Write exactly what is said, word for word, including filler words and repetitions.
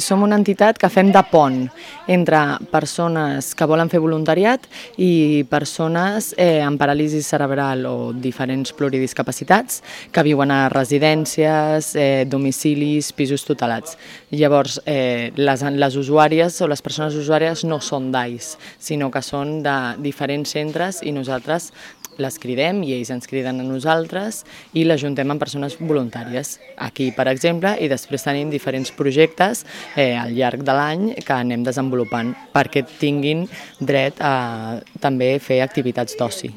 Som una entitat que fem de pont entre persones que volen fer voluntariat i persones eh, amb paràlisi cerebral o diferents pluridiscapacitats que viuen a residències, eh, domicilis, pisos tutelats. Llavors, eh, les, les usuàries o les persones usuàries no són d'A I S, sinó que són de diferents centres i nosaltres les cridem i ells ens criden a nosaltres i l'ajuntem amb persones voluntàries. Aquí, per exemple, i després tenim diferents projectes eh, al llarg de l'any que anem desenvolupant perquè tinguin dret a també fer activitats d'oci.